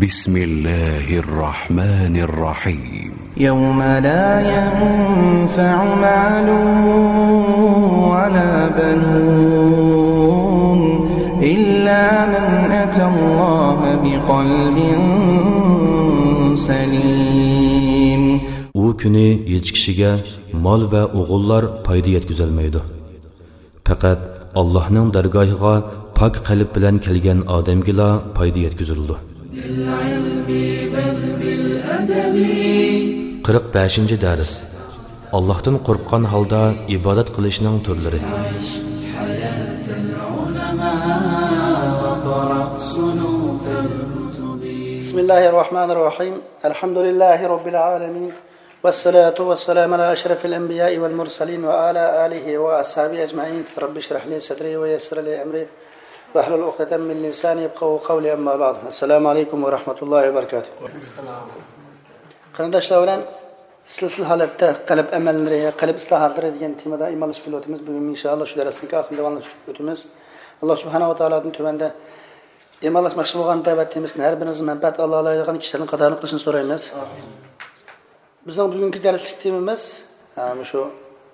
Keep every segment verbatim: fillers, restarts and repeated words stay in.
بسم الله الرحمن الرحيم. يوم لا ينفع مال ولا بنون إلا من أتى الله بقلب سليم. ئۇ كۈنى ھېچ كىشىگە مال ۋە ئوغۇللار پايدا يەتكۈزەلمەيدۇ. پەقەت ئاللاھنىڭ دەرگاھىغا پاك قەلب بىلەن كەلگەن ئادەمگىلا پايدا يەتكۈزۈلىدۇ. قىرىق بەشىنچى دەرس. ئاللاھتىن قورققان ھالدا ئىبادەت قىلىشنىڭ تۈرلىرى. بسم الله الرحمن الرحيم. الحمد لله رب العالمين. والصلاة والسلام على أشرف الأنبياء والمرسلين وعلى آله وأصحابه أجمعين. رب اشرح لي صدري ويسر لي أمري واحلل عقدة من لساني يفقهوا قولي. أما بعد. السلام عليكم ورحمة الله وبركاته. قېرىنداشلار بىلەن سىلسىلە ھالەتتە قەلب ئەمەللىرى، قەلب ئىسلاھاتلىرى دېگەن تېمىدا ئىمانلىشىپ كېلىۋاتىمىز. بۈگۈن ئىنشائاللا شۇ دەرسنىڭكى ئاخىرىنى داۋاملاشتۇرۇپ ئۆتىمىز. ئاللا سۇبھانەھۇ ۋە تائالادىن تۆۋەندە ئىمانلاشماقچى بولغان دەۋەت تېمىسىدىن ھەر بىرىمىزگە مەنپەئەت ئالالايدىغان كىشىلەرنىڭ قاتارىدا قىلىشنى سورايمىز. بىزنىڭ بۈگۈنكى دەرسلىك تېمىمىز، ئە، مۇشۇ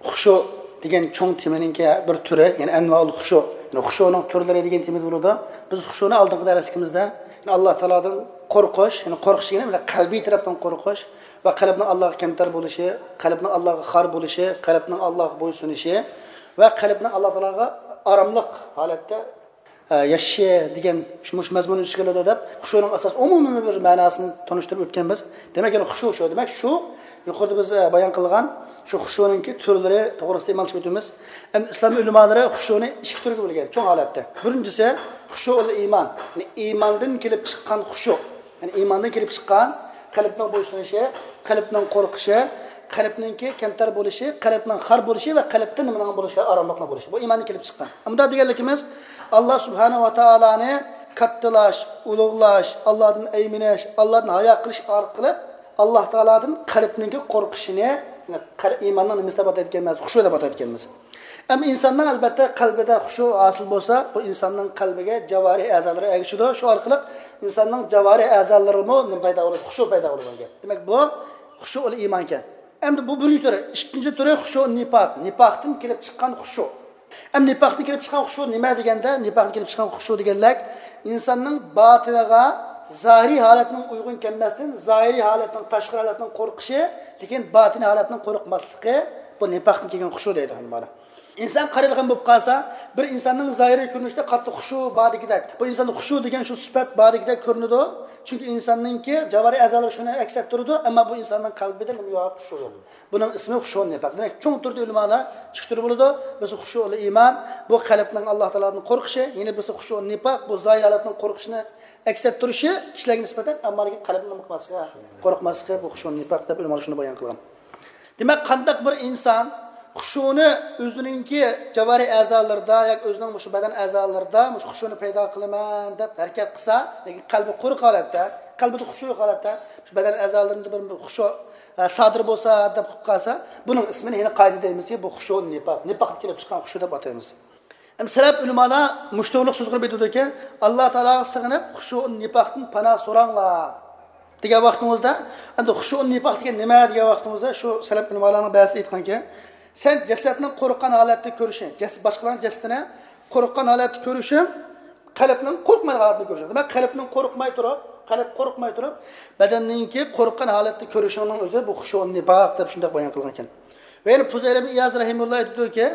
خۇشۇ دېگەن چوڭ تېمىنىڭكى بىر تۈرى، يەنى ئەنۋائۇل خۇشۇ، يەنى خۇشۇنىڭ تۈرلىرى دېگەن تېمىدا بولىدۇ. بىز خۇشۇنى ئالدىنقى دەرسلىكىمىزدە، يەنى ئاللا تائالادىن قورقۇش، يەنى قورقۇش دېگىنى بىلەن قەلبىي تەرەپتىن قورقۇش ۋە قەلبنىڭ ئاللاغا كەمتەر بولۇشى، قەلبنىڭ ئاللاغا خار بولۇشى، قەلبنىڭ ئاللاغا بويسۇنۇشى ۋە قەلبنىڭ ئاللا تائالاغا ئاراملىق ھالەتتە ئە، ياشىشى دېگەن شۇ، مۇشۇ مەزمۇننىڭ ئۈستىگە كېلىدۇ دەپ، خۇشۇنىڭ ئاساس ئومۇمىي بىر مەناسىنى تونۇشتۇرۇپ ئۆتكەنبىز. دېمەك، يەنى خۇشۇ شۇ. دېمەك، شۇ يۇقىرىدا بىز، ئە، بايان قىلغان شۇ خۇشۇنىڭكى تۈرلىرى توغرىسىدا ئىمانلىشىپ ئۆتىمىز. ئەمدى ئىسلام ئۆلىمالىرى خۇشۇنى ئىككى تۈرگە بۆلگەن چوڭ ھالەتتە. بىرىنچىسى خۇشۇئۇل ئىمان، يەنى ئىماندىن كېلىپ چىققان خۇشۇ. يەنى ئىماندىن كېلىپ چىققان قەلبنىڭ بويسۇنۇشى، قەلبنىڭ قورقۇشى، قەلبنىڭكى كەمتەر بولۇشى، قەلبنىڭ خار بولۇشى ۋە قەلبتە نېمىنىڭ بولۇشى، ئاراملىقنىڭ بولۇشى. بۇ ئىماندىن كېلىپ چىققان. ئۇنداق دېگەنلىكىمىز، ئاللا سۇبھانەھۇ ۋە تائالانى كاتتىلاش، ئۇلۇغلاش، ئاللادىن ئەيمىنىش، ئاللادىن ھايا قىلىش ئارقىلىق ئاللا تائالادىن قەلبنىڭكى قورقۇشىنى، يەنى قەل-، ئىماننىڭ نېمىسى دەپ ئاتايدىكەنمىز؟ خۇشۇ دەپ ئاتايدىكەنمىز. ئەمما ئىنساننىڭ، ئەلبەتتە، قەلبىدە خۇشۇ ھاسىل بولسا، بۇ ئىنساننىڭ قەلبىگە جاۋارىھ ئەزالىرى ئەگىشىدۇ. شۇ ئارقىلىق ئىنساننىڭ جاۋارىھ ئەزالىرىمۇ نېمە پەيدا بولىدۇ؟ خۇشۇ پەيدا بولىدۇ. دېمەك، بۇ خۇشۇئۇل ئىمان ئىكەن. ئەمدى بۇ بىرىنچى تۈرى. ئىككىنچى تۈرى خۇشۇ نىپاق. نىپاقتىن كېلىپ چىققان خۇشۇ. ئەمدى نىپاقتىن كېلىپ چىققان خۇشۇ نېمە دېگەندە، نىپاقتىن كېلىپ چىققان خۇشۇ دېگەنلەك ئىنساننىڭ باتىنىغا زاھىرىي ھالەتنىڭ ئۇيغۇن كەلمەستىن، زاھىرىي ھالەتنىڭ، تاشقى ھالەتنىڭ قورقۇشى، لېكىن باتىنىي ھالەتنىڭ قورقماسلىقى، بۇ نىپاقتىن كېلگەن خۇشۇ دەيدۇ ئۆلىمالار. ئىنسان قارايدىغان بولۇپ قالسا، بىر ئىنساننىڭ زاھىرىي كۆرۈنۈشىدە قاتتىق خۇشۇ باردىكىدەك. بۇ ئىنساندا خۇشۇ دېگەن شۇ سۈپەت باردىكىدەك كۆرۈنىدۇ. چۈنكى ئىنساننىڭكى جاۋارىھ ئەزالىرى شۇنى ئەكس ئەتتۈرىدۇ، ئەمما بۇ ئىنساننىڭ قەلبىدە نېمە يوق؟ خۇشۇ يوق. بۇنىڭ ئىسمى خۇشۇ نىپاق. دېمەك، چوڭ تۈردە ئۆلىمالار ئىككى تۈر بولىدۇ. بىرسى خۇشۇئۇل ئىمان، بۇ قەلبنىڭ ئاللا تائالادىن قورقۇشى، يەنە بىرسى خۇشۇئۇل نىپاق، بۇ زاھىر ھالەتنىڭ قورقۇشىنى ئەكس ئەتتۈرۈشى، كىشىلەرگە نىسبەتەن، ئەمما لېكىن قەلبنىڭ نېمە قىلماسلىقى، قورقماسلىقى، بۇ خۇشۇئۇل نىپاق دەپ ئۆلىمالار شۇنى بايان قىلغان. دېمەك، قانداق بىر ئىنسان خۇشۇنى ئۆزىنىڭكى جاۋارىھ ئەزالىرىدا ياكى ئۆزىنىڭ مۇشۇ بەدەن ئەزالىرىدا مۇشۇ خۇشۇنى پەيدا قىلىمەن دەپ ھەرىكەت قىلسا، لېكىن قەلبى قۇرۇق ھالەتتە، قەلبىدە خۇشۇ يوق ھالەتتە، شۇ بەدەن ئەزالىرىدا بىر، بىر خۇشۇ، ئە، سادىر بولسا دەپ قىلىپ قالسا، بۇنىڭ ئىسمىنى يەنە قايتا دەيمىزكى، بۇ خۇشۇ نىپاق، نىپاقتىن كېلىپ چىققان خۇشۇ دەپ ئاتايمىز. ئەمدى سەلەپ ئۆلىمالار مۇشۇ توغرىلىق سۆز قىلىپ ئېيتىدۇكى، ئاللا تائالاغا سىغىنىپ، خۇشۇئۇن نىپاقتىن پاناھ سوراڭلار دېگەن ۋاقتىمىزدا، ئەمدى خۇشۇئۇن نىپاق دېگەن نېمە دېگەن ۋاقتىمىزدا، شۇ سەلەپ ئۆلىمالارنىڭ بەزىسى ئېيتقانكى، سەن جەسەتنى قورققان ھالەتتە كۆرۈشۈڭ، جەس-، باشقىلارنىڭ جەسىتىنى قورققان ھالەتتە كۆرۈشۈڭ، قەلبنىڭ قورقمايدىغان ھالەتتە كۆرۈشۈڭ. دېمەك، قەلبنىڭ قورقماي تۇرۇپ، قەلب قورقماي تۇرۇپ، بەدەننىڭكى قورققان ھالەتتە كۆرۈشۈڭنىڭ ئۆزى بۇ خۇشۇئۇن نىپاق دەپ شۇنداق بايان قىلغان ئىكەن. ۋە يەنە پۇزەيل ئىبن ئىياز رەھىمۇللا ئېيتىدۇكى،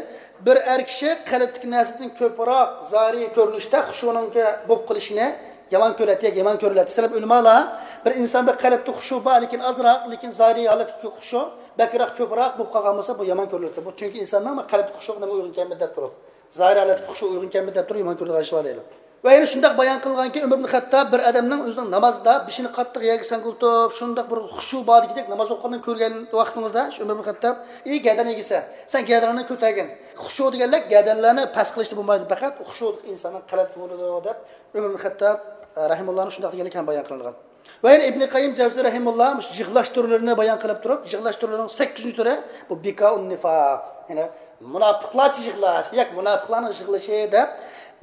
بىر ئەر كىشى قەلبتىكى نەرسىدىن كۆپرەك زاھىرىي كۆرۈنۈشتە خۇشۇنىڭكى بولۇپ قېلىشىنى يامان كۆرەتتى ياكى يامان كۆرۈلەتتى. سەلەپ ئۆلىمالار بىر ئىنساندا قەلبتە خۇشۇ بار، لېكىن ئازراق، لېكىن زاھىرىي ھالەتتىكى خۇشۇ بەكرەك، كۆپرەك بولۇپ قالغان بولسا، بۇ يامان كۆرۈلەتتى. بۇ چۈنكى ئىنساننىڭ قەلبتىكى خۇشۇغا نېمە ئۇيغۇن كەلمىدى دەپ تۇرۇپ، زاھىرىي ھالەتتىكى خۇشۇ ئۇيغۇن كەلمىدى دەپ تۇرۇپ يامان كۆرىدىغان ئىش بار دەيدۇ. ۋە يەنە شۇنداق بايان قىلغانكى، ئۆمەر ئىبن خەتتاب بىر ئادەمنىڭ ئۆزىنىڭ نامازدا بېشىنى قاتتىق يەرگە سەڭگىلتىپ، شۇنداق بىر خۇشۇ باردىكىدەك ناماز ئوقۇغىنىنى كۆرگەن ۋاقتىڭىزدا، شۇ ئۆمەر ئىبن خەتتاب، ئى گەدەن ئىگىسى، سەن گەدىنىڭنى كۆتەرگىن. خۇشۇ دېگەنلەر گەدەنلەرنى پەس قىلىشتا بولمايدۇ، پەقەت خۇشۇ ئىنساننىڭ قەلبىدە بولىدۇ دەپ ئۆمەر ئىبن خەتتاب، ئە، رەھىمۇللانىڭ شۇنداق دېگەنلىكى ھەم بايان قىلىنغان. ۋە يەنە ئىبنى قەييىم جەۋزى رەھىمۇللا مۇشۇ يىغلاش تۈرلىرىنى بايان قىلىپ تۇرۇپ، يىغلاش تۈرلىرىنىڭ سەككىزىنچى تۈرى بۇ بىكائۇن نىفاق، يەنى مۇناپىقلارچە يىغلاش ياكى مۇناپىقلارنىڭ يىغلىشى دەپ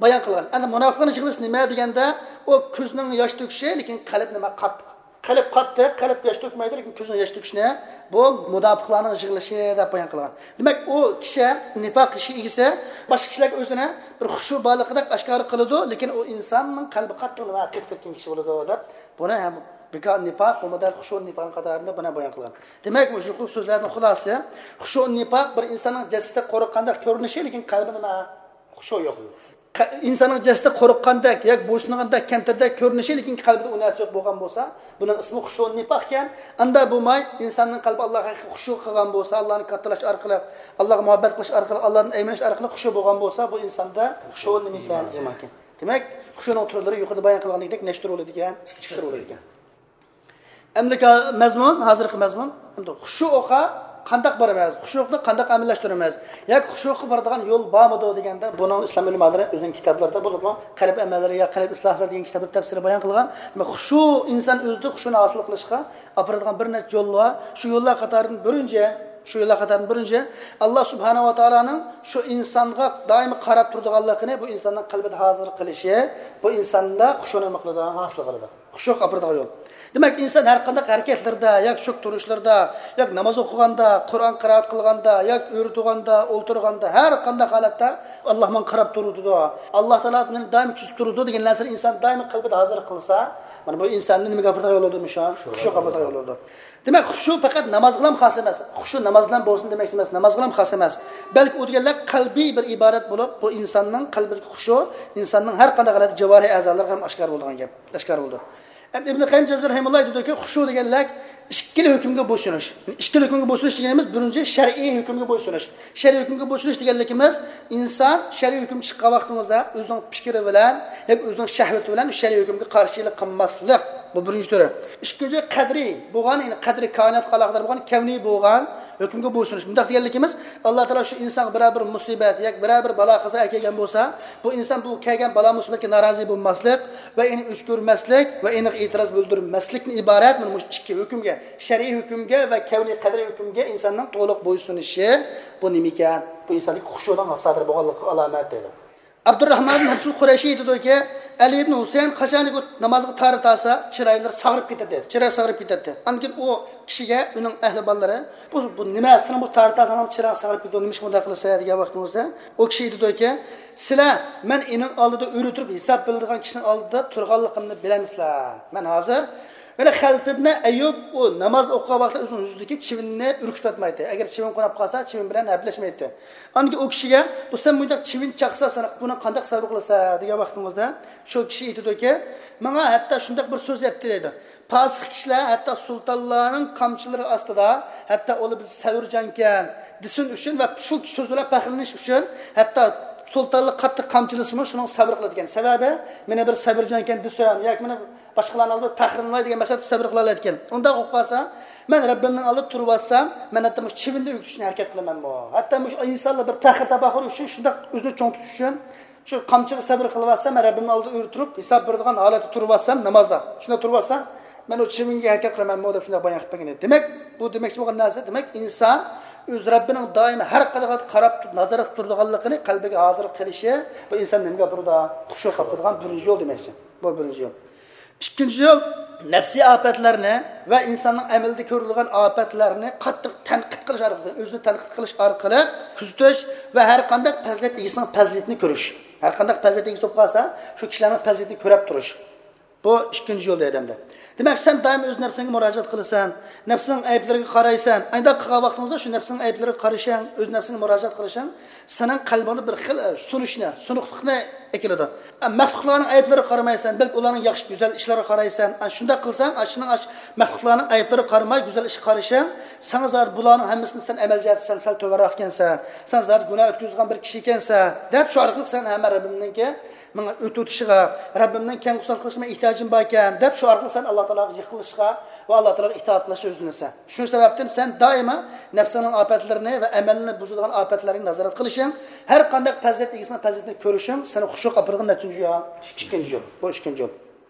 بايان قىلغان. ئەمدى مۇناپىقلارنىڭ يىغلىشى نېمە دېگەندە، ئۇ كۆزنىڭ ياش تۆكۈشى، لېكىن قەلب نېمە؟ قاتتىق. قەلب قاتتىق، قەلب ياش تۆكمەيدۇ، لېكىن كۆزنىڭ ياش تۆكۈشىنى بۇ مۇناپىقلارنىڭ يىغلىشى دەپ بايان قىلغان. دېمەك، ئۇ كىشى نىپاق ئىشى ئىگىسى، باشقا كىشىلەرگە ئۆزىنى بىر خۇشۇ بارلىقىدەك ئاشكارا قىلىدۇ، لېكىن ئۇ ئىنساننىڭ قەلبى قاتتىق نېمە؟ قېتىپ كەتكەن كىشى بولىدۇ دەپ، بۇنى ھەم بىكار نىپاق، بۇمۇ دەل خۇشۇ نىپاقنىڭ قاتارىدا بۇنى بايان قىلغان. دېمەك، مۇشۇ سۆزلەردىن خۇلاسە، خۇشۇ نىپاق بىر ئىنساننىڭ جەسىتى قورققاندەك كۆرۈنۈشى، لېكىن قەلبى نېمە؟ خۇشۇ يوق. قە-، ئىنساننىڭ جەسىتى قورققاندەك ياكى بويسۇنغاندەك، كەمتەردەك كۆرۈنۈشى، لېكىن قەلبىدە ئۇ نەرسە يوق بولغان بولسا، بۇنىڭ ئىسمى خۇشۇ نىپاق ئىكەن. ئاندا بولماي، ئىنساننىڭ قەلبى ئاللاغا ھەقىقىي خۇشۇ قىلغان بولسا، ئاللانى كاتتىلاش ئارقىلىق، ئاللاغا مۇھەببەت قىلىش ئارقىلىق، ئاللادىن ئەيمىنىش ئارقىلىق خۇشۇ بولغان بولسا، بۇ ئىنساندا خۇشۇ نېمە ئىكەن؟ ئىمان ئىكەن. دېمەك، خۇشۇنىڭ تۈرلىرى يۇقىرىدا بايان قىلغاندىكىدەك نەچچە تۈر بولىدىكەن؟ ئىككى تۈر بولىدىكەن. ئەمدىكى مەزمۇن، ھازىرقى مەزمۇن، ئەمدى خۇشۇغا قانداق بارىمىز؟ خۇشۇنى قانداق ئەمەللەشتۈرىمىز؟ ياكى خۇشۇغا بارىدىغان يول بارمىدۇ دېگەندە، بۇنىڭ ئىسلام ئۆلىمالىرى ئۆزىنىڭ كىتابلىرىدا، بولۇپمۇ قەلب ئەمەللىرى يا قەلب ئىسلاھلىرى دېگەن كىتابتا تەپسىلىي بايان قىلغان. دېمەك، خۇشۇ ئىنسان ئۆزىدە خۇشۇنى ھاسىل قىلىشقا ئاپىرىدىغان بىر نەچچە يول بار. شۇ يوللار قاتارىدىن بىرىنچى، شۇ يوللار قاتارىدىن بىرىنچى، ئاللا سۇبھانەھۇ ۋە تائالانىڭ شۇ ئىنسانغا دائىم قاراپ تۇرىدىغانلىقىنى بۇ ئىنساننىڭ قەلبىدە ھازىر قىلىشى، بۇ ئىنساندا خۇشۇنى نېمە قىلىدۇ؟ ھاسىل قىلىدۇ. خۇشۇغا ئاپىرىدىغان يول. دېمەك، ئىنسان ھەر قانداق ھەرىكەتلىرىدە، ياكى چوك تۇرۇشلىرىدا، ياكى ناماز ئوقۇغاندا، قۇرئان قىرائەت قىلغاندا، ياكى ئۆرە تۇرغاندا، ئولتۇرغاندا، ھەر قانداق ھالەتتە ئاللا ماڭا قاراپ تۇرۇۋاتىدۇ. ئاللا تائالا مېنى دائىم كۆزىتىپ تۇرىدۇ دېگەن نەرسىنى ئىنسان دائىم قەلبىدە ھازىر قىلسا، مانا بۇ ئىنساننى نېمىگە ئاپىرىدىغان يول بولىدۇ؟ مۇشۇ خۇشۇغا ئاپىرىدىغان يول بولىدۇ. دېمەك، خۇشۇ پەقەت نامازغىلا خاس ئەمەس. خۇشۇ ناماز بىلەن بولسۇن دېمەكچى ئەمەس، نامازغىلا خاس ئەمەس. بەلكى ئۇ دېگەنلەر قەلبىي بىر ئىبادەت بولۇپ، بۇ ئىنساننىڭ قەلبىدىكى خۇشۇ ئىنساننىڭ ھەر قانداق ھالەتتە جاۋارىھ ئەزالىرىغا ھەم ئاشكارا بولىدىغان گەپ، ئاشكارا بولىدۇ. ئەمدى ئىبن قەييىم جەۋزىي رەھىمۇللا ئېيتىدۇكى، خۇشۇ دېگەنلەر ئىككىلا ھۆكۈمگە بويسۇنۇش. ئىككىلا ھۆكۈمگە بويسۇنۇش دېگىنىمىز، بىرىنچى، شەرئىي ھۆكۈمگە بويسۇنۇش. شەرئىي ھۆكۈمگە بويسۇنۇش دېگەنلىكىمىز، ئىنسان شەرئىي ھۆكۈم چىققان ۋاقتىمىزدا ئۆزىنىڭ پىكرى بىلەن ياكى ئۆزىنىڭ شەھۋىتى بىلەن شەرئىي ھۆكۈمگە قارشىلىق قىلماسلىق. بۇ بىرىنچى تۈرى. ئىككىنچى، قەدرىي بولغان، يەنى قەدرى كائىناتقا ئالاقىدار بولغان، كەۋنىي بولغان ھۆكۈمگە بويسۇنۇش. مۇنداق دېگەنلىكىمىز، ئاللا تائالا شۇ ئىنسانغا بىرەر بىر مۇسىبەت ياكى بىرەر بىر بالا قازا ئەكەلگەن بولسا، بۇ ئىنسان بۇ كەلگەن بالا مۇسىبەتكە نارازى بولماسلىق ۋە ئېنى ئۆچ كۆرمەسلىك ۋە ئېنىغا ئېتىراز بىلدۈرمەسلىكتىن ئىبارەت مانا مۇشۇ ئىككى ھۆكۈمگە، شەرئىي ھۆكۈمگە ۋە كەۋنىي قەدرىي ھۆكۈمگە ئىنساننىڭ تولۇق بويسۇنۇشى، بۇ نېمە ئىكەن؟ بۇ ئىنساندىكى خۇشۇنىڭ سادىر بولغانلىقىغا ئالامەت دەيدۇ. ئابدۇرراھمان ئىبن ھەبسۇل قۇرەيشى ئېيتىدۇكى، ئەلى ئىبن ھۈسەيىن قاچانكى نامازغا تارىتالسا، چىرايلىرى ساغىرىپ كېتەتتى، چىراي ساغىرىپ كېتەتتى. ئاندىن كېيىن ئۇ كىشىگە ئۇنىڭ ئەھلى بالىلىرى، بۇ، بۇ نېمە، سېنىڭ بۇ تارىتالساڭ چىرايىڭ ساغىرىپ كېتىدۇ، نېمىشقا بۇنداق قىلىسەن دېگەن ۋاقتىمىزدا، ئۇ كىشى ئېيتىدۇكى، سىلەر مەن ئېنىڭ ئالدىدا ئۆرە تۇرۇپ ھېساب بېرىدىغان كىشىنىڭ ئالدىدا تۇرغانلىقىمنى بىلەمسىلەر؟ مەن ھازىر يەنە خەلپىبنى ئەييۇب ئۇ ناماز ئوقۇغان ۋاقتىدا ئۆزىنىڭ يۈزىدىكى چىۋىننى ئۈركۈتۈۋەتمەيتتى. ئەگەر چىۋىن قونۇپ قالسا، چىۋىن بىلەن ھەپىلەشمەيتتى. ئاندىن كېيىن ئۇ كىشىگە، بۇ سەن مۇنداق چىۋىن چاقسا، سەن بۇنى قانداق سەۋر قىلىسەن دېگەن ۋاقتىمىزدا، شۇ كىشى ئېيتىدۇكى، ماڭا ھەتتا شۇنداق بىر سۆز ئېيتتى دەيدۇ. پاسىق كىشىلەر ھەتتا سۇلتانلارنىڭ قامچىلىرى ئاستىدا، ھەتتا ئۇلار بىز سەۋرجانكەن دېسۇن ئۈچۈن ۋە شۇ سۆز بىلەن پەخىرلىنىش ئۈچۈن، ھەتتا سۇلتانلار قاتتىق قامچىلىسىمۇ شۇنىڭغا سەۋر قىلىدىكەن. سەۋەبى، مېنى بىر سەۋرجانكەن دېسۇن ياكى مېنى باشقىلارنىڭ ئالدىدا پەخىرلىنىۋاي دېگەن مەقسەتتە سەۋر قىلالايدىكەن. ئۇنداق بولۇپ قالسا، مەن رەببىمنىڭ ئالدىدا تۇرۇۋالسام، مەن ھەتتا مۇشۇ چىۋىننى ئۈركۈتۈشنى ھەرىكەت قىلىمەنمۇ؟ ھەتتا مۇشۇ ئىنسانلار بىر پەخىر تاپاخۇر ئۈچۈن، شۇنداق ئۆزىنى چوڭ تۇتۇش ئۈچۈن شۇ قامچىغا سەۋر قىلىۋاتسام، مەن رەببىمنىڭ ئالدىدا ئۆرە تۇرۇپ، ھېساب بېرىدىغان ھالەتتە تۇرۇۋاتسام، نامازدا شۇنداق تۇرۇۋاتسام، مەن ئۇ چىۋىنگە ھەرىكەت قىلىمەنمۇ دەپ شۇنداق بايان قىلىپ بەرگەن ئىدى. دېمەك، بۇ دېمەكچى بولغان نەرسە، دېمەك، ئىنسان ئۆز رەببىنىڭ دائىم ھەر قاراپ، نازارەت قىلىپ تۇرىدىغانلىقىنى قەلبىگە ھازىر قىلىشى، بۇ ئىنسان نېمىگە ئاپىرىدۇ؟ خۇشۇغا ئاپىرىدىغان بىرىنچى يول دېمەكچى. بۇ بىرىنچى يول. ئىككىنچى يول، نەپسىي ئاپەتلەرنى ۋە ئىنساننىڭ ئەمەلدە كۆرۈلگەن ئاپەتلەرنى قاتتىق تەنقىد قىلىش ئارقىلىق، ئۆزىنى تەنقىد قىلىش ئارقىلىق كۆزىتىش ۋە ھەر قانداق پەزىلەت ئىگىسىنىڭ پەزىلىتىنى كۆرۈش. ھەر قانداق پەزىلەت ئىگىسى بولۇپ قالسا، شۇ كىشىلەرنىڭ پەزىلىتىنى كۆرەپ تۇرۇش. بۇ ئىككىنچى يول دەيدۇ ئەمدى. دېمەك، سەن دائىم ئۆز نەپسىڭگە مۇراجىئەت قىلىسەن، نەپسىنىڭ ئەيىبلىرىگە قارايسەن. ئانداق قىلغان ۋاقتىڭىزدا شۇ نەپسىنىڭ ئەيىبلىرىگە قارىشىڭ، ئۆز نەپسىڭگە مۇراجىئەت قىلىشىڭ سېنىڭ قەلبىڭدە بىر خىل، ئە، سۇنۇشنى، سۇنۇقلۇقنى ئەكېلىدۇ. ئە، مەخلۇقلارنىڭ ئەيىبلىرىگە قارىمايسەن، بەلكى ئۇلارنىڭ ياخشى، گۈزەل ئىشلىرىغا قارايسەن. ئە، شۇنداق قىلساڭ، ئە، شۇنىڭ، ئە، مەخلۇقلارنىڭ ئەيىبلىرىگە قارىماي گۈزەل ئىشقا قارىشىڭ، ساڭا زادى بۇلارنىڭ ھەممىسىدىن سەن ئەمەل جەھەتتە سەن سەل تۆۋەنرەك ئىكەنسەن، سەن زادى گۇناھ ئۆتكۈزگەن بىر كىشى ئىكەنسەن، دەپ شۇ ئارقىلىق سەن ھەممە رەببىمنىڭكى ماڭا ئۆتۈۋېتىشىغا، رەببىمنىڭ كەڭ قۇسان قىلىشىغا مېنىڭ ئېھتىياجىم باركەن، دەپ شۇ ئارقىلىق سەن ئاللا تائالاغا يېقىنلىشىشقا ۋە ئاللا تائالاغا ئىتائەت قىلىشقا يۈزلىنىسەن. شۇ سەۋەبتىن سەن دائىما نەپسىڭنىڭ ئاپەتلىرىنى ۋە ئەمەلنى بۇزىدىغان ئاپەتلەرنى نازارەت قىلىشىڭ، ھەر قانداق پەزىلەت ئىگىسىنىڭ پەزىلىتىنى كۆرۈشۈڭ سېنى خۇشۇغا ئاپىرىدىغان نەچچىنچى يول؟ ئىككىنچى يول. بۇ ئىككىنچى يول.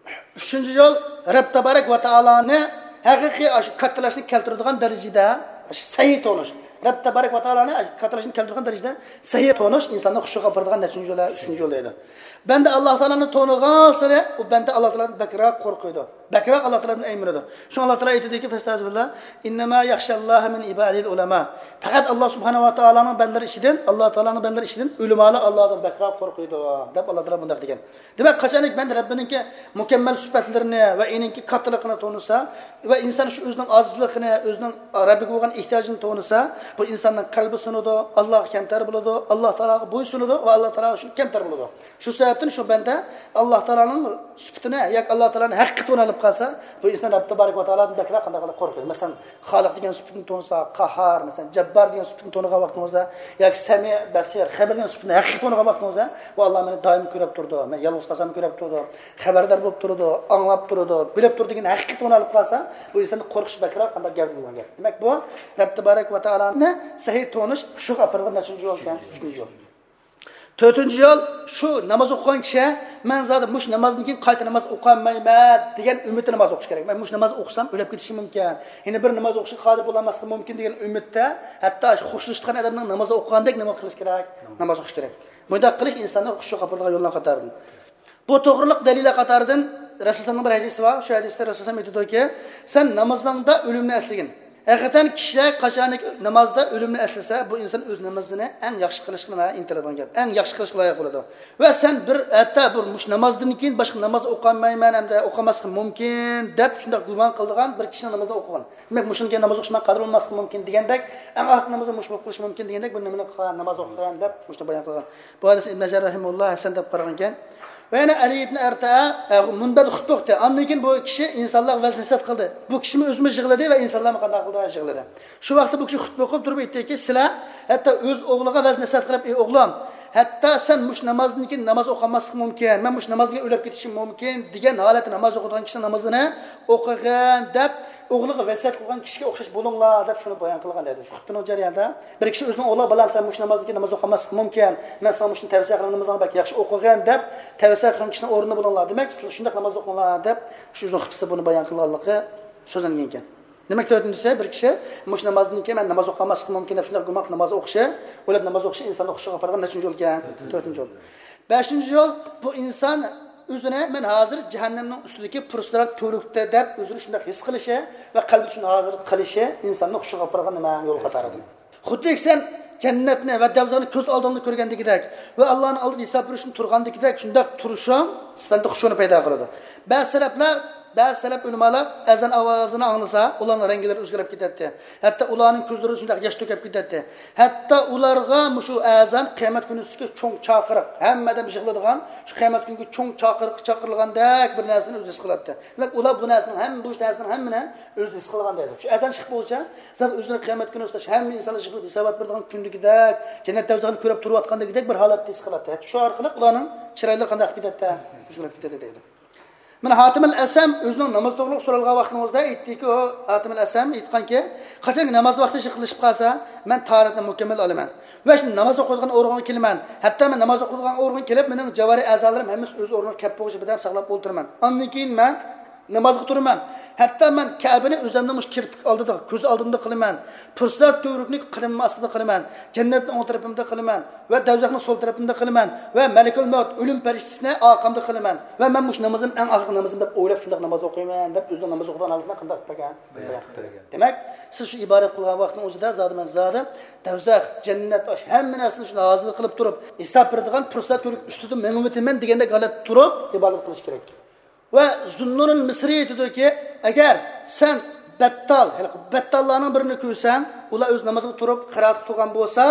ئۈچىنچى يول، رەب تابارەك ۋە تائالانى ھەقىقىي ئاشۇ كاتتىلاشنى كەلتۈرىدىغان دەرىجىدە ئاشۇ سەھىھ تونۇش. رەب تەبارەك ۋە تائالانى كاتالوگنى كەلتۈرگەن دەرىجىدە سەھىھ تونۇش ئىنساننى خۇشۇغا ئاپىرىدىغان نەچچىنچى يول، ئۈچىنچى يول دەيدۇ. بەندە ئاللا تائالانى تونۇغانسېرى ئۇ بەندە ئاللا تائالادىن بەكرەك قورقىدۇ. بەكرەك ئاللا تائالادىن ئەيمىنىدۇ. شۇڭا ئاللا تائالا ئېيتىدۇكى، فەستەئىزبىللا، ئىننەما يەخشەللاھە مىن ئىبادىھىل ئۇلەما. پەقەت ئاللا سۇبھانەھۇ ۋە تائالانىڭ بەندىلىرى ئىچىدىن، ئاللا تائالانىڭ بەندىلىرى ئىچىدىن ئۆلىمالار ئاللادىن بەكرەك قورقىدۇ، دەپ ئاللا تائالا بۇنداق دېگەن. دېمەك، قاچانكى بەندە رەببىنىڭكى مۇكەممەل سۈپەتلىرىنى ۋە ئېنىڭكى كاتتىلىقىنى تونۇسا ۋە ئىنسان شۇ ئۆزىنىڭ ئاجىزلىقىنى، ئۆزىنىڭ رەببىگە بولغان ئېھتىياجىنى تونۇسا، بۇ ئىنساننىڭ قەلبى سۇنىدۇ، ئاللاغا كەمتەر بولىدۇ، ئاللا تائالاغا بويسۇنىدۇ ۋە ئاللا تائالا شۇ كەمتەر بولىدۇ. شۇ سەۋەبتىن شۇ بەندە ئاللا تائالانىڭ سۈپىتىنى ياكى ئاللا تائالانى ھەقىقىي تونۇۋېلىپ قالسا، بۇ ئىنسان رەببى تەبارەك ۋە تائالادىن بەكرەك قانداق قىلىپ قورقىدۇ. مەسىلەن، خالىق دېگەن سۈپىتىنى تونۇسا، قاھار، مەسىلەن، جەببار دېگەن سۈپىتىنى تونۇغان ۋاقتىڭىزدا ياكى سەمىئ، بەسىر، خەبىر دېگەن سۈپىتىنى ھەقىقىي تونۇغان ۋاقتىڭىزدا، بۇ ئاللا مېنى دائىم كۆرۈپ تۇرىدۇ، مەن يالغۇز قالساممۇ كۆرۈپ تۇرىدۇ، خەۋەردار بولۇپ تۇرىدۇ، ئاڭلاپ تۇرىدۇ، بىلىپ تۇرىدۇ دېگەن ھەقىقىي تونۇۋېلىپ قالسا، بۇ ئىنساندا قورقۇش بەكرەك قانداق گەۋدىلىنگەن گەپ. دېمەك، بۇ رەببى تەبارەك ۋە تائالانى سەھىھ تونۇش خۇشۇغا ئاپىرىدىغان نەچچىنچى يول ئىكەن؟ ئۈچىنچى يول. تۆتىنچى يول، شۇ ناماز ئوقۇغان كىشى، مەن زادى مۇشۇ نامازدىن كېيىن قايتا ناماز ئوقۇيالمايمەن دېگەن ئۈمىدتە ناماز ئوقۇش كېرەك. مەن مۇشۇ ناماز ئوقۇسام ئۆلۈپ كېتىشىم مۇمكىن، يەنە بىر ناماز ئوقۇشقا قادىر بولالماسلىقىم مۇمكىن دېگەن ئۈمىدتە، ھەتتا خوشلىشىدىغان ئادەمنىڭ ناماز ئوقۇغاندەك ناماز قىلىش كېرەك. ناماز ئوقۇش كېرەك. بۇنداق قىلىش ئىنساننى خۇشۇغا ئاپىرىدىغان يوللار قاتارىدىن. بۇ توغرىلىق دەلىللەر قاتارىدىن رەسۇلۇللانىڭ بىر ھەدىسى بار. شۇ ھەدىستە رەسۇلۇللا ئېيتىدۇكى، سەن نامىزىڭدا ئۆلۈمنى ئەسلىگىن. ھەقىقەتەن كىشى قاچانكى نامازدا ئۆلۈمنى ئەسلىسە، بۇ ئىنسان ئۆز نامىزىنى ئەڭ ياخشى قىلىشقا نېمە ئىنتىلىدىغان گەپ، ئەڭ ياخشى قىلىشقا لايىق بولىدۇ. ۋە سەن بىر ھەتتا بۇ مۇشۇ نامازدىن كېيىن باشقا ناماز ئوقۇيالمايمەن ھەمدە ئوقۇماسلىقىم مۇمكىن دەپ شۇنداق گۇمان قىلىدىغان بىر كىشىنىڭ نامىزىنى ئوقۇغان. دېمەك، مۇشۇنىڭ كېيىن ناماز ئوقۇشقا مەن قادىر بولماسلىقىم مۇمكىن دېگەندەك، ئەڭ ئاخىرقى نامىزىم مۇشۇ بولۇپ قېلىشى مۇمكىن دېگەندەك بىر نېمىنى قىلغان، ناماز ئوقۇغان دەپ مۇشۇنى بايان قىلغان. بۇ ھەدىسنى ئىبن ھەجەر رەھىمەھۇللا ھەسەن دەپ قارىغانكەن. ۋە يەنە ئەلى ئىبن ئەرتە، ئە، مۇنبەردە خۇتبە ئوقۇدى. ئاندىن كېيىن بۇ كىشى ئىنسانلارغا ۋەز نەسىھەت قىلدى. بۇ كىشىمۇ ئۆزىمۇ يىغلىدى ۋە ئىنسانلارمۇ قانداق قىلدى؟ يىغلىدى. شۇ ۋاقىتتا بۇ كىشى خۇتبە ئوقۇپ تۇرۇپ ئېيتتىكى، سىلەر ھەتتا ئۆز ئوغلىغا ۋەز نەسىھەت قىلىپ، ئى ئوغلۇم، ھەتتا سەن مۇشۇ نامازدىن كېيىن ناماز ئوقۇماسلىقىڭ مۇمكىن، مەن مۇشۇ نامازدىن كېيىن ئۆلۈپ كېتىشىم مۇمكىن دېگەن ھالەتتە ناماز ئوقۇيدىغان كىشىنىڭ نامىزىنى ئوقۇغىن دەپ، ئوغلىغا ۋەسىيەت قىلغان كىشىگە ئوخشاش بولۇڭلار دەپ شۇنى بايان قىلغان دەيدۇ. شۇ خۇتبىنىڭ جەريانىدا بىر كىشى ئۆزىنىڭ ئوغلىغا، بالام، سەن مۇشۇ نامازدىن كېيىن ناماز ئوقۇماسلىقىڭ مۇمكىن، مەن ساڭا مۇشۇنى تەۋسىيە قىلىمەن، نامىزىڭنى بەك ياخشى ئوقۇغىن دەپ تەۋسىيە قىلغان كىشىنىڭ ئورنىدا بولۇڭلار، دېمەك، سىلەر شۇنداق ناماز ئوقۇڭلار دەپ شۇ ئۆزىنىڭ خۇتبىسىدا بۇنى بايان قىلغانلىقى سۆزلەنگەن ئىكەن. دېمەك، تۆتىنچىسى، بىر كىشى مۇشۇ نامازدىن كېيىن مەن ناماز ئوقۇماسلىقىم مۇمكىن دەپ شۇنداق گۇمان قىلىپ ناماز ئوقۇشى، ئويلاپ ناماز ئوقۇشى ئىنساننى خۇشۇغا ئاپارغان نەچچىنچى يول ئىكەن؟ تۆتىنچى يول. بەشىنچى يول، بۇ ئىنسان ئۆزىنى مەن ھازىر جەھەننەمنىڭ ئۈستىدىكى پۇرسىرات تۈۋرۈكتە دەپ ئۆزىنى شۇنداق ھېس قىلىشى ۋە قەلبىدە شۇنى ھازىر قىلىشى ئىنساننى خۇشۇغا ئاپارغان نېمە؟ يول قاتارىدىن. خۇددى سەن جەننەتنى ۋە دەۋزەخنى كۆز ئالدىڭدا كۆرگەندىكىدەك ۋە ئاللانىڭ ئالدىدا ھېساب بېرىشنى تۇرغاندىكىدەك شۇنداق تۇرۇشۇڭ سەندە خۇشۇنى پەيدا قىلىدۇ. بەزى سەلەفلەر، بەزى سەلەف ئۆلىمالار ئەزان ئاۋازىنى ئاڭلىسا، ئۇلارنىڭ رەڭگىلىرى ئۆزگىرىپ كېتەتتى. ھەتتا ئۇلارنىڭ كۆزلىرىدىن شۇنداق ياش تۆكۈپ كېتەتتى. ھەتتا ئۇلارغا مۇشۇ ئەزان قىيامەت كۈنىسىدىكى چوڭ چاقىرىق، ھەممە ئادەم يىغىلىدىغان شۇ قىيامەت كۈنىگە چوڭ چاقىرىق چاقىرىلغاندەك بىر نەرسىنى ئۆزى ھېس قىلاتتى. دېمەك، ئۇلار بۇ نەرسىنىڭ ھەم-، بۇ نەرسىنىڭ ھەممىنى ئۆزى ھېس قىلغان دەيدۇ. شۇ ئەزان چىقىپ بولسا، زادى ئۆزىنى قىيامەت كۈنى ئۇستاش ھەممە ئىنسانلار يىغىلىپ ھېسابات بېرىدىغان كۈندىكىدەك، جەننەت دەۋزىخىنى كۆرۈپ تۇرۇۋاتقاندىكىدەك بىر ھالەتتە ھېس قىلاتتى. شۇ ئارقىلىق ئۇلارنىڭ چىرايلىرى قانداق كېتەتتى؟ ئۆزگىرىپ كېتەتتى دەيدۇ. مانا ھاتىمىل ئەسەم ئۆزىنىڭ ناماز توغرىلىق سورالغان ۋاقتىڭىزدا ئېيتتىكى، ئۇ ھاتىمىل ئەسەم ئېيتقانكى، قاچانكى ناماز ۋاقتى يېقىنلىشىپ قالسا، مەن تاھارەتنى مۇكەممەل ئالىمەن ۋە شۇ ناماز ئوقۇيدىغان ئورۇنغا كېلىمەن. ھەتتا مەن ناماز ئوقۇيدىغان ئورۇنغا كېلىپ، مېنىڭ جاۋارى ئەزالىرىم ھەممىسى ئۆز ئورنىغا كەپ بولغۇچە بىردەم ساقلاپ ئولتۇرىمەن. ئاندىن كېيىن مەن نامازغا تۇرىمەن. ھەتتا مەن كەبىنى ئۆزۈمنىڭ مۇشۇ كىرپىك ئالدىدا، كۆز ئالدىمدا قىلىمەن. پۇرسەت تۈۋرۈكنى قەدىمىم ئاستىدا قىلىمەن. جەننەتنى ئوڭ تەرىپىمدە قىلىمەن ۋە دەۋزەخنى سول تەرىپىمدە قىلىمەن ۋە مەلىكۇل مەۋت، ئۆلۈم پەرىشتىسىنى ئارقامدا قىلىمەن ۋە مەن مۇشۇ نامىزىم ئەڭ ئاخىرقى نامىزىم دەپ ئويلاپ شۇنداق ناماز ئوقۇيمەن دەپ ئۆزىنىڭ ناماز ئوقۇيدىغان ھالىتىنى قانداق قىلىپ بەرگەن؟ بايان قىلىپ بەرگەن. دېمەك، سىز شۇ ئىبادەت قىلغان ۋاقىتنىڭ ئۆزىدە زادى مەن زادى دەۋزەخ، جەننەت، ئاش ھەممە نەرسىنى شۇنداق ھازىر قىلىپ تۇرۇپ، ھېساب بېرىدىغان پۇرسەت تۈۋرۈك ئۈستىدە مېڭىۋېتىمەن دېگەندەك ھالەتتە تۇرۇپ ئىبادەت قىلىش كېرەك. ۋە زۇننۇنۇل مىسرى ئېيتىدۇكى، ئەگەر سەن بەتتال، ھېلىقى بەتتاللارنىڭ بىرىنى كۆرسەڭ، ئۇلار ئۆز نامىزىغا تۇرۇپ قىرائەتكە تۇرغان بولسا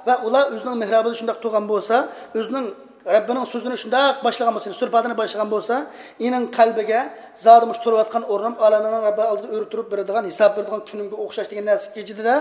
ۋە ئۇلار ئۆزىنىڭ مېھرابىدا شۇنداق تۇرغان بولسا، ئۆزىنىڭ رەببىنىڭ سۆزىنى شۇنداق باشلىغان بولسا، يەنى سۈرە پاتىھەنى باشلىغان بولسا، ئېنىڭ قەلبىگە زادى مۇشۇ تۇرۇۋاتقان ئورنۇم ئالەملەرنىڭ رەببى ئالدىدا ئۆرە تۇرۇپ بېرىدىغان، ھېساب بېرىدىغان كۈنۈمگە ئوخشاش دېگەن نەرسە كېچىدىدە،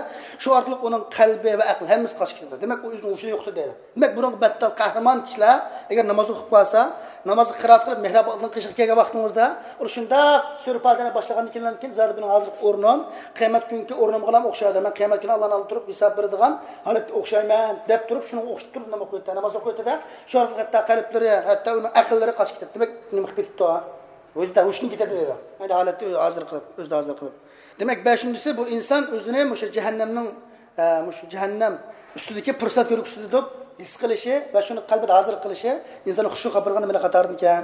شۇ ئارقىلىق ئۇنىڭ قەلبى ۋە ئەقلى ھەممىسى قاچىپ كېتىدۇ. دېمەك، ئۇ ئۆزىنىڭ ھوشىنى يوقىتىدۇ دەيدۇ. دېمەك، بۇنىڭغا بەتتال قەھرىمان كىشىلەر ئەگەر ناماز ئوقۇپ قالسا، نامازغا قىرائەت قىلىپ مېھراب ئالدىنقى قېشىغا كەلگەن ۋاقتىڭىزدا، ئۇ شۇنداق سۈرە پاتىھەنى باشلىغاندىن كېيىن، كېيىن زادى مېنىڭ ھازىرقى ئورنۇم قىيامەت كۈنكى ئورنۇمغىلا ئوخشايدۇ، مەن قىيامەت كۈنى ئاللانىڭ ئالدىدا تۇرۇپ ھېساب بېرىدىغان ھالەتكە ئوخشايمەن دەپ تۇرۇپ، شۇنىڭغا ئوخشىتىپ تۇرۇپ ناماز ئوقۇيتتى، ناماز ئوقۇيتتى-دە، شۇ ئارقىلىق ھەتتا قەلبلىرى، ھەتتا ئۇنىڭ ئەقىللىرى قاچىپ كېتەتتى. دېمەك، نېمە قىلىپ كېتىپتۇ؟ ھوشىدا، ھوشىدىن كېتەتتى دەيدۇ. ئەينى ھالەتتە ئۆزى ھازىر قىلىپ، ئۆزىدە ھازىر قىلىپ. دېمەك، بەشىنچىسى، بۇ ئىنسان ئۆزىنى مۇشۇ جەھەننەمنىڭ ئە، مۇشۇ جەھەننەم ئۈستىدىكى پۇرسەت كۆرگۈسى دەپ ھېس قىلىشى ۋە شۇنى قەلبىدە ھازىر قىلىشى ئىنساننى خۇشۇ قىلىدىغان نېمىلەر قاتارىدىكەن؟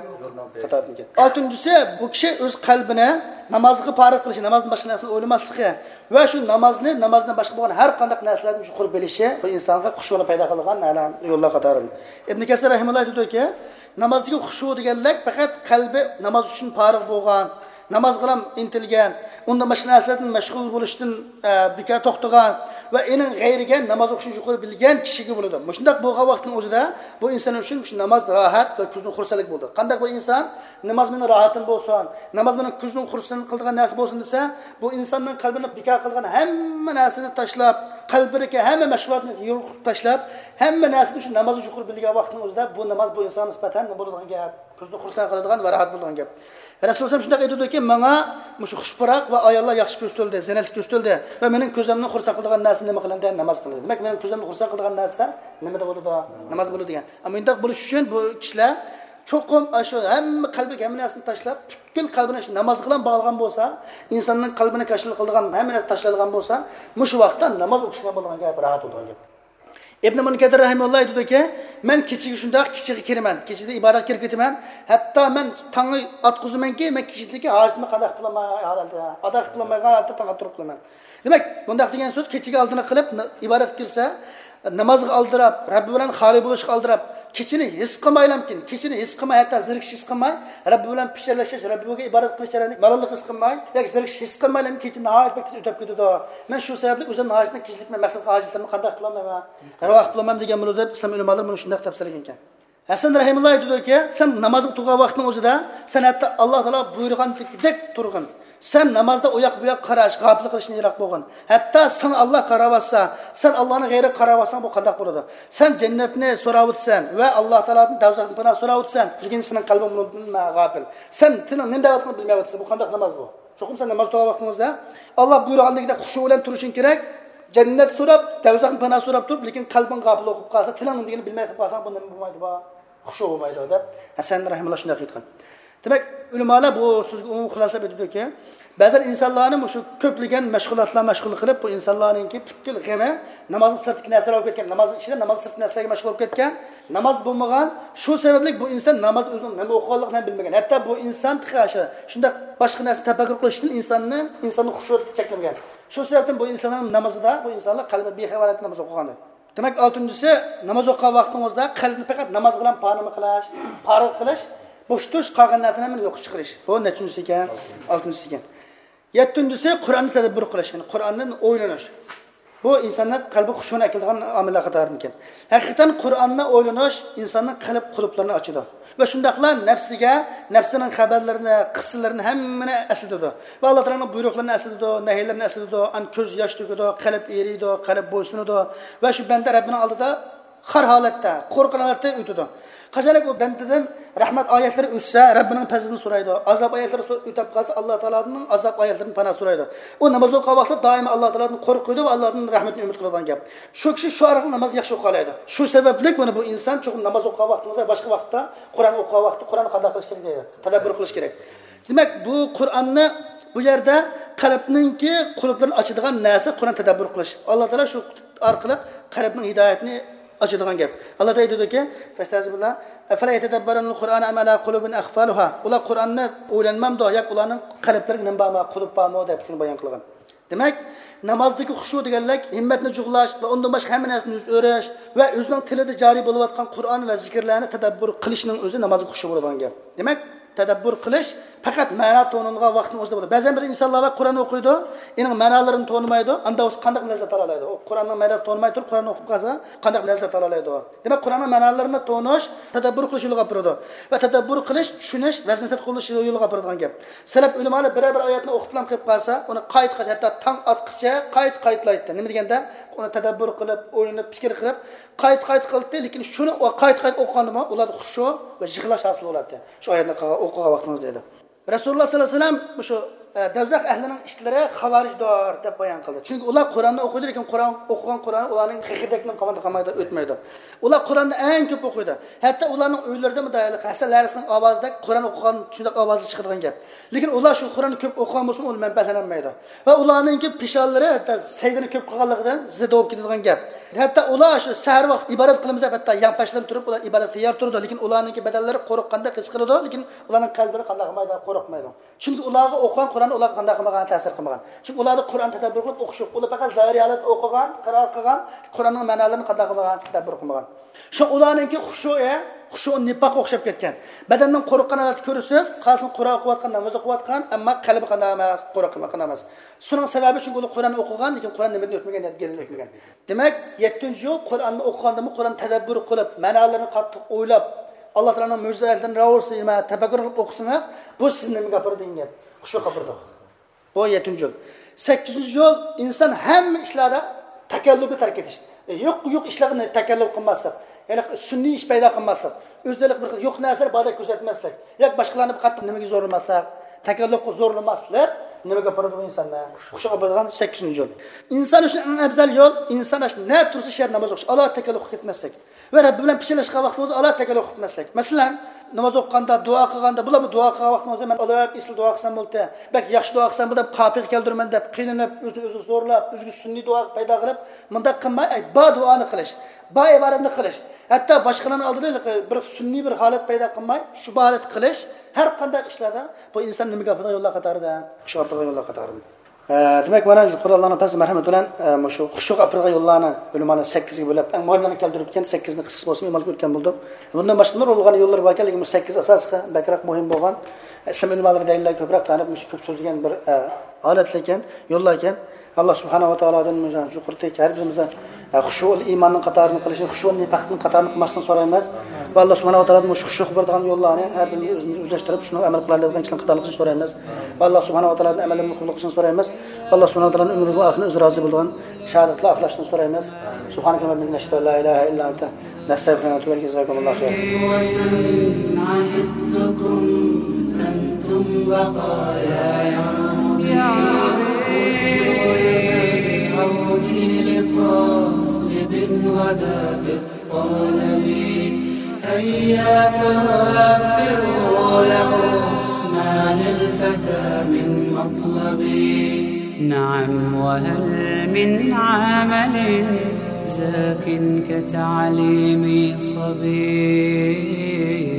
قاتارىدىكەن. ئالتىنچىسى، بۇ كىشى ئۆز قەلبىنى نامازغا پارىغ قىلىشى، نامازدىن باشقا نەرسىنى ئويلىماسلىقى ۋە شۇ نامازنى، نامازدىن باشقا بولغان ھەر قانداق نەرسىلەردىن يۇقىرى بىلىشى بۇ ئىنسانغا خۇشۇنى پەيدا قىلىدىغان يوللار قاتارىدىن. ئىبن كەسىر رەھىمۇللا ئېيتىدۇكى، نامازدىكى خۇشۇ دېگەنلىك پەقەت قەلبى ناماز ئۈچۈن پارىغ بولغان، نامازغىلا ئىنتىلگەن، ئۇندىن باشقا نەرسىلەردىن مەشغۇل بولۇشتىن، ئە، بىكار توختىغان ۋە ئېنىڭ غەيرىگە ناماز ئوقۇشنى يۇقىرى بىلگەن كىشىگە بولىدۇ. مۇشۇنداق بولغان ۋاقىتنىڭ ئۆزىدە بۇ ئىنسان ئۈچۈن شۇ ناماز راھەت ۋە كۆزنىڭ خۇرسەنلىكى بولىدۇ. قانداق بىر ئىنسان ناماز مېنىڭ راھىتىم بولسۇن، ناماز مېنىڭ كۆزنىڭ خۇرسەن قىلىدىغان نەرسە بولسۇن دېسە، بۇ ئىنساننىڭ قەلبىنى بىكار قىلغان ھەممە نەرسىنى تاشلاپ، قەلبىدىكى ھەممە مەشغۇلاتنى يوقىتىپ تاشلاپ، ھەممە نەرسىنى شۇ نامازغا يۇقىرى بىلگەن ۋاقىتنىڭ ئۆزىدە بۇ ناماز بۇ ئىنسانغا نىسبەتەن نېمە بولىدىغان گەپ؟ كۆزنى خۇرسەن قىلىدىغان ۋە راھەت بولىدىغان گەپ. رەسۇلۇللا شۇنداق ئېيتىدۇكى، ماڭا مۇشۇ خۇش پۇراق ۋە ئاياللار ياخشى كۆرسىتىلدى، زىننەتلىك كۆرسىتىلدى ۋە مېنىڭ كۆزۈمنى خۇرسەن قىلىدىغان نەرسە نېمە قىلىندى؟ ناماز قىلىندى. دېمەك، مېنىڭ كۆزۈمنى خۇرسەن قىلىدىغان نەرسە نېمىدە بولىدۇ؟ ناماز بولىدۇ دېگەن. ئەمما مۇنداق بولۇش ئۈچۈن بۇ كىشىلەر چوقۇم ئاشۇ ھەممە قەلبىدىكى ھەممە نەرسىنى تاشلاپ، پۈتكۈل قەلبىنى شۇ نامازغا بىلەن باغلىغان بولسا، ئىنساننىڭ قەلبىنى كاشىلا قىلىدىغان ھەممە نەرسە تاشلانغان بولسا، مۇشۇ ۋاقىتتا ناماز ئوقۇشقا بولىدىغان گەپ، راھەت بولىدىغان گەپ. ئىبن مۇنكەدىر رەھىمۇللا ئېيتىدۇكى، مەن كېچىگە شۇنداق كېچىگە كىرىمەن، كېچىدە ئىبادەتكە كىرىپ كېتىمەن، ھەتتا مەن تاڭنى ئاتقۇزىمەنكى، مەن كېچىدىكى ھاجىتىمنى قانداق قىلالماي ھالەتتە، ئادا قىلالمايدىغان ھالەتتە تاڭ ئاتتۇرۇپ قىلىمەن. دېمەك، بۇنداق دېگەن سۆز كېچىگە ئالدىنى قىلىپ ن-، ئىبادەتكە كىرسە، نامازغا ئالدىراپ، رەببى بىلەن خالىي بولۇشقا ئالدىراپ، كېچىنى ھېس قىلمايلامكىن، كېچىنى ھېس قىلماي، ھەتتا زېرىكىش ھېس قىلماي، رەببى بىلەن پىچىرلىشىش، رەببىگە ئىبادەت قىلىش جەريانىدا مالاللىق ھېس قىلماي ياكى زېرىكىش ھېس قىلمايلامكىن، كېچە ناھايىتى بەك تېز ئۆتۈپ كېتىدۇ. مەن شۇ سەۋەبلىك ئۆزۈمنىڭ ھاجىتىنى كېچىلىك مەن مەقسەت ھاجەتلىرىمنى قانداق قىلالمايمەن؟ رىۋا قىلالمايمەن دېگەن بولىدۇ دەپ ئىسلام ئۆلىمالىرى بۇنى شۇنداق تەپسىرلىگەنىكەن. ھەسەن رەھىمۇللا ئېيتىدۇكى، سەن نامازغا تۇرغان ۋاقىتنىڭ ئۆزىدە، سەن ھەتتا ئاللا تائالا بۇيرۇغاندەك تۇرغىن. سەن نامازدا ئۇ ياق بۇ ياققا قاراش، غاپىل قىلىشتىن يىراق بولغىن. ھەتتا ساڭا ئاللا قاراۋاتسا، سەن ئاللانىڭ غەيرىگە قاراۋاتساڭ، بۇ قانداق بولىدۇ؟ سەن جەننەتنى سوراۋاتىسەن ۋە ئاللا تائالادىن دوزاختىن پاناھ سوراۋاتىسەن، لېكىن سېنىڭ قەلبىڭ بۇنىڭدىن غاپىل. سەن تىلىڭ نېمە دەۋاتقىنىنى بىلمەيۋاتىسەن، بۇ قانداق ناماز بۇ؟ چوقۇم سەن ناماز تۇرغان ۋاقتىڭىزدا ئاللا بۇيرۇغاندىكىدەك خۇشۇ بىلەن تۇرۇشۇڭ كېرەك. جەننەت سوراپ، دوزاخنى پاناھ سوراپ تۇرۇپ، لېكىن قەلبىڭ غاپىل بولۇپ قالسا، تىلىڭ نېمە دېگىنىنى بىلمەي قېلىپ قالساڭ، بۇ نېمە بولمايدۇ بۇ؟ خۇشۇ بولمايدۇ دەپ ھەسەن رەھىمۇللا شۇنداق ئېيتقان. دېمەك، ئۆلىمالار بۇ سۆزگە ئومۇمىي خۇلاسە ئېيتىدۇكى، بەزەن ئىنسانلارنى مۇشۇ كۆپلىگەن مەشغۇلاتلار مەشغۇل قىلىپ، بۇ ئىنسانلارنىڭكى پۈتكۈل غېمى نامازنىڭ سىرتىدىكى نەرسىلەر بولۇپ كەتكەن، نامازنىڭ ئىچىدە ناماز سىرتىدىكى نەرسىلەرگە مەشغۇل بولۇپ كەتكەن. ناماز بولمىغان، شۇ سەۋەبلىك بۇ ئىنسان نامازدا ئۆزىنىڭ نېمە ئوقۇغانلىقىنى ھەم بىلمىگەن. ھەتتا بۇ ئىنسان تېخى شۇ، شۇنداق باشقا نەرسىنى تەپەككۇر قىلىشتىن ئىنساننى، ئىنساننىڭ خۇشۇسىنى چەكلىمىگەن. شۇ سەۋەبتىن بۇ ئىنساننىڭ نامىزىدا، بۇ ئىنسانلار قەلبى بىخەۋەر ھالەتتە ناماز ئوقۇغان. دېمەك، ئالتىنچىسى، ناماز ئوقۇغان ۋاقتىڭىزدا قەلبنى پەقەت ناماز بىلەن پانىما قىلىش، پارىغ قىلىش، بوشىتىش، قالغان نەرسىنى ھەممىنى يوققا چىقىرىش. بۇ نەچچىنچىسى ئىكەن؟ ئالتىنچىسى ئىكەن. يەتتىنچىسى، قۇرئاننى تەدەببۇر قىلىش، يەنى قۇرئاندىن ئويلىنىش. بۇ ئىنساننىڭ قەلبى خۇشۇنى ئەكېلىدىغان ئامىللار قاتارىدىكەن. ھەقىقەتەن قۇرئاننى ئويلىنىش ئىنساننىڭ قەلب قۇلۇپلىرىنى ئاچىدۇ. ۋە شۇنداقلا نەپسىگە، نەپسىنىڭ خەۋەرلىرىنى، قىسسىلىرىنى ھەممىنى ئەسلىتىدۇ. ۋە ئاللا تائالانىڭ بۇيرۇقلىرىنى ئەسلىتىدۇ، نەھىيلىرىنى ئەسلىتىدۇ، ئان كۆز ياش تۆكىدۇ، قەلب ئېرىيدۇ، قەلب بويسۇنىدۇ. ۋە شۇ بەندە رەببىنىڭ ئالدىدا خار ھالەتتە، قورققان ھالەتتە ئۆتىدۇ. قاچانكى ئۇ بەندىدىن رەھمەت ئايەتلىرى ئۆتسە، رەببىنىڭ پەزلىنى سورايدۇ. ئازاب ئايەتلىرى سو-، ئۆتۈپ قالسا، ئاللا تائالانىڭ ئازاب ئايەتلىرىدىن پاناھ سورايدۇ. ئۇ ناماز ئوقۇغان ۋاقىتتا دائىم ئاللا تائالادىن قورقىدۇ ۋە ئاللادىن رەھمىتىنى ئۈمىد قىلىدىغان گەپ. شۇ كىشى شۇ ئارقىلىق ناماز ياخشى ئوقۇيالايدۇ. شۇ سەۋەبلىك مانا بۇ ئىنسان چوقۇم ناماز ئوقۇغان ۋاقتىڭىزدا، باشقا ۋاقىتتا، قۇرئان ئوقۇغان ۋاقىتتا قۇرئاننى قانداق قىلىش كېرەك دەيدۇ؟ تەدەببۇر قىلىش كېرەك. دېمەك، بۇ قۇرئاننى بۇ يەردە قەلبنىڭكى قۇلۇپلىرىنى ئاچىدىغان نەرسە قۇرئان تەدەببۇر قىلىش. ئاللا تائالا شۇ ئارقىلىق قەلبنىڭ ھىدايەتىنى ئاچىدىغان گەپ. ئاللا تائالا ئېيتىدۇكى، فەستەزىبىللا، ئەفەلا يەتەدەببەرۇنەل قۇرئان ئەم ئەلا قۇلۇبىن ئەقفالۇھا. ئۇلار قۇرئاننى ئويلانمامدۇ ياكى ئۇلارنىڭ قەلبلىرىگە نېمە بارمۇ، قۇلۇپ بارمۇ دەپ شۇنى بايان قىلغان. دېمەك، نامازدىكى خۇشۇ دېگەنلىك ھىممەتنى جۇغلاش ۋە ئۇندىن باشقا ھەممە نەرسىدىن يۈز ئۆرۈش ۋە ئۆزىنىڭ تىلىدا جارى بولۇۋاتقان قۇرئان ۋە زىكىرلەرنى تەدەببۇر قىلىشنىڭ ئۆزى نامازغا خۇشۇ بولىدىغان گەپ. دېمەك، تەدەببۇر قىلىش پەقەت مەنا تونۇلغان ۋاقىتنىڭ ئۆزىدە بولىدۇ. بەزەن بىر ئىنسانلار بار، قۇرئان ئوقۇيدۇ، ئېنىڭ مەنالىرىنى تونۇمايدۇ، ئاندا بولسا قانداق لەززەت ئالالايدۇ؟ ئۇ قۇرئاننىڭ مەناسىنى تونۇماي تۇرۇپ، قۇرئان ئوقۇپ قالسا، قانداق لەززەت ئالالايدۇ؟ دېمەك، قۇرئاننىڭ مەنالىرىنى تونۇش، تەدەببۇر قىلىش يولىغا ئاپىرىدۇ. ۋە تەدەببۇر قىلىش، چۈشىنىش، ۋەزنىسىنى قوبۇللاش يولىغا ئاپىرىدىغان گەپ. سەلەپ ئۆلىمالار بىرەر بىر ئايەتنى ئوقۇپلا قېلىپ قالسا، ئۇنى قايتا قايتا، ھەتتا تاڭ ئاتقىچە قايتا قايتىلايتتى. نېمە دېگەندە، ئۇنى تەدەببۇر قىلىپ، ئويلىنىپ، پىكىر قىلىپ، قايتا قايتا قىلاتتى. لېكىن شۇنى ئۇ قايتا قايتا ئوقۇغاندىمۇ، ئۇلاردا خۇشۇ ۋە يىغلاش ھاسىل بولاتتى. شۇ ئايەتنى قىلغان، ئوقۇغان ۋاقتىڭىزدا ئىدى. رەسۇلۇللا سەللەللاھۇ ئەلەيھى ۋەسەللەم مۇشۇ ئە، دوزاخ ئەھلىنىڭ ئىتلىرى خاۋارىجدۇر دەپ بايان قىلدى. چۈنكى ئۇلار قۇرئاننى ئوقۇيدۇ، لېكىن قۇرئان ئوقۇغان قۇرئان ئۇلارنىڭ خېخىردەكنىڭ قامىتىدا قالمايدۇ، ئۆتمەيدۇ. ئۇلار قۇرئاننى ئەڭ كۆپ ئوقۇيدۇ. ھەتتا ئۇلارنىڭ ئۆيلىرىدە مۇنداق ھەسەل ھەرىسىنىڭ ئاۋازىدەك قۇرئان ئوقۇغان شۇنداق ئاۋازدا چىقىدىغان گەپ. لېكىن ئۇلار شۇ قۇرئاننى كۆپ ئوقۇغان بولسىمۇ، ئۇ مەنپەئەتلەنمەيدۇ. ۋە ئۇلارنىڭكى پېشانىلىرى ھەتتا سەجدىنى كۆپ قىلغانلىقىدىن زىددا بولۇپ كېتىدىغان گەپ. ھەتتا ئۇلار شۇ سەھەر ۋاقىت ئىبادەت قىلىمىز دەپ، ھەتتا يانپاشلىرىدىن تۇرۇپ، ئۇلار ئىبادەتكە تەييار تۇرىدۇ. لېكىن ئۇلارنىڭكى بەدەنلىرى قورققاندەك ھېس قىلىدۇ، لېكىن ئۇلارنىڭ قەلبىلىرى قانداق قىلمايدۇ؟ قورقمايدۇ. چۈنكى ئۇلارغا ئوقۇغان قۇرئان ئۇلارغا قانداق قىلمىغان؟ تەسىر قىلمىغان. چۈنكى ئۇلاردا قۇرئان تەدەببۇر قىلىپ ئوقۇش يوق. ئۇلار پەقەت زاھىرىي ھالەتتە ئوقۇغان، قىرائەت قىلغان، قۇرئاننىڭ مەنالىرىنى قانداق قىلمىغان؟ تەدەببۇر قىلمىغان. شۇ ئۇلارنىڭكى خۇشۇئى، خۇشۇئى نىپاققا ئوخشاپ كەتكەن. بەدەندىن قورققان ھالەتتە كۆرىسىز، قارىسىڭىز قۇرئان ئوقۇۋاتقان، ناماز ئوقۇۋاتقان، ئەمما قەلبى قانداق ئەمەس؟ قورققان ئەمەس. شۇنىڭ سەۋەبى، چۈنكى ئۇلار قۇرئان ئوقۇغان، لېكىن قۇرئان نېمىدىن ئۆتمىگەن؟ نەتىجىدىن ئۆتمىگەن. دېمەك، يەتتىنچى يول، قۇرئاننى ئوقۇغاندىمۇ قۇرئان تەدەببۇر قىلىپ، مەنالىرىنى قاتتىق ئويلاپ، ئاللا تائالانىڭ مۆجىزىلىرىدىن راۋۇرسى نېمە تەپەككۇر قىلىپ ئوقۇسىڭىز، بۇ سىزنى نېمىگە ئاپىرىدۇ دېگەن گەپ؟ خۇشۇغا ئاپىرىدۇ. بۇ يەتتىنچى يول. سەككىزىنچى يول، ئىنسان ھەممە ئىشلاردا تەكەللۇپنى تەرك ئېتىش. ئە، يوق، يوق ئىشلارنى تەكەللۇپ قىلماسلىق. يەنى سۈنئىي ئىش پەيدا قىلماسلىق. ئۆزىدە بىر يوق نەرسىلەر باردەك كۆرسەتمەسلىك. ياكى باشقىلارنى قاتتىق نېمىگە زورلىماسلىق. تەكەللۇپقا زورلىماسلىق نېمىگە ئاپىرىدۇ بۇ ئىنساننى؟ خۇشۇغا ئاپىرىدىغان سەككىزىنچى يول. ئىنسان ئۈچۈن ئەڭ ئەۋزەل يول، ئىنسان ئاشۇ نە تۇرسا شەھەر ناماز ئوقۇش، ئالاھىدە تەكەللۇپقا كەتمەسلىك. ۋە رەببى بىلەن پىچىرلاشقان ۋاقتىڭىزدا ئالاھىدە تەكەللۇپ قىلماسلىق. مەسىلەن، ناماز ئوقۇغاندا، دۇئا قىلغاندا، بۇلارمۇ دۇئا قىلغان ۋاقتىڭىزدا مەن ئالاھىدە ئېسىل دۇئا قىلسام بولدى، بەك ياخشى دۇئا قىلسام بولدى دەپ قاپىيە كەلتۈرىمەن دەپ قىينىلىپ، ئۆزىنى ئۆزى زورلاپ، ئۆزىگە سۈنئىي دۇئا پەيدا قىلىپ، مۇنداق قىلماي، ئەي، بار دۇئانى قىلىش، بار ئىبادەتنى قىلىش. ھەتتا باشقىلارنىڭ ئالدىدا بىر سۈنئىي بىر ھالەت پەيدا قىلماي، شۇ ھالەتتە قىلىش، ھەر قانداق ئىشلاردا بۇ ئىنسان نېمىگە ئاپىرىدىغان يوللار قاتارىدا؟ شۇ ئاپىرىدىغان يوللار قاتارىدا. ئە، دېمەك، مانا شۇ قۇرئان ئاللانىڭ پەزلى مەرھەمىتى بىلەن، ئە، مۇشۇ خۇشۇغا ئاپىرىدىغان يوللارنى ئۆلىمالار سەككىزگە بۆلۈپ، ئەڭ مۇھىملىرىنى كەلتۈرۈپ ئۆتكەن، سەككىزنى قىسقىسى بولسىمۇ ئىمالغا ئۆتكەن بولدۇق. بۇندىن باشقا نۇرغۇنلىغان يوللار باركەن، لېكىن بۇ سەككىز ئاساسلىقى بەكرەك مۇھىم بولغان. ئىسلام ئۆلىمالىرى دەلىللەرگە كۆپرەك تايىنىپ، مۇشۇ كۆپ سۆزلىگەن بىر، ئە، ھالەتلەركەن، يوللاركەن. ئاللا سۇبھانەھۇ ۋە تائالادىن مۇشۇ يۇقىرىدىكى ھەر بىرىمىزدىن، ئە، خۇشۇئۇل ئىماننىڭ قاتارىنى قىلىشنى، خۇشۇئۇل نىپاقنىڭ قاتارىنى قىلماسلىقنى سورايمىز. ۋە ئاللا سۇبھانەھۇ ۋە تائالادىن مۇشۇ خۇشۇغا بارىدىغان يوللارنى ھەر بىرىمىز ئۆزىمىز ئۆزلەشتۈرۈپ، شۇنىڭغا ئەمەل قىلالايدىغان كىشىلەرنىڭ قاتارىدا قىلىشنى سورايمىز. ۋە ئاللا سۇبھانەھۇ ۋە تائالادىن ئەمەللىرىمىزنى قوبۇل قىلىشنى سورايمىز. ۋە ئاللا سۇبھانەھۇ ۋە تائالادىن ئۆمرىمىزنىڭ ئاخىرىنى ئۆزى رازى بولىدىغان شاھادەتلەر ئاخىرلاشنى سورايمىز. سبحانك اللهم وبحمدك، نشهد أن لا إله إلا أنت، نستغفرك ونتوب إليك. جزاكم الله خيرا. عهدتكم أنتم بقايا يا ربي، مدوا يد العون لطالب غدا في الطلب. هيا فوفروا له ما للفتى من مطلب. نعم، وهل من عمل زاك كتعليم صبي؟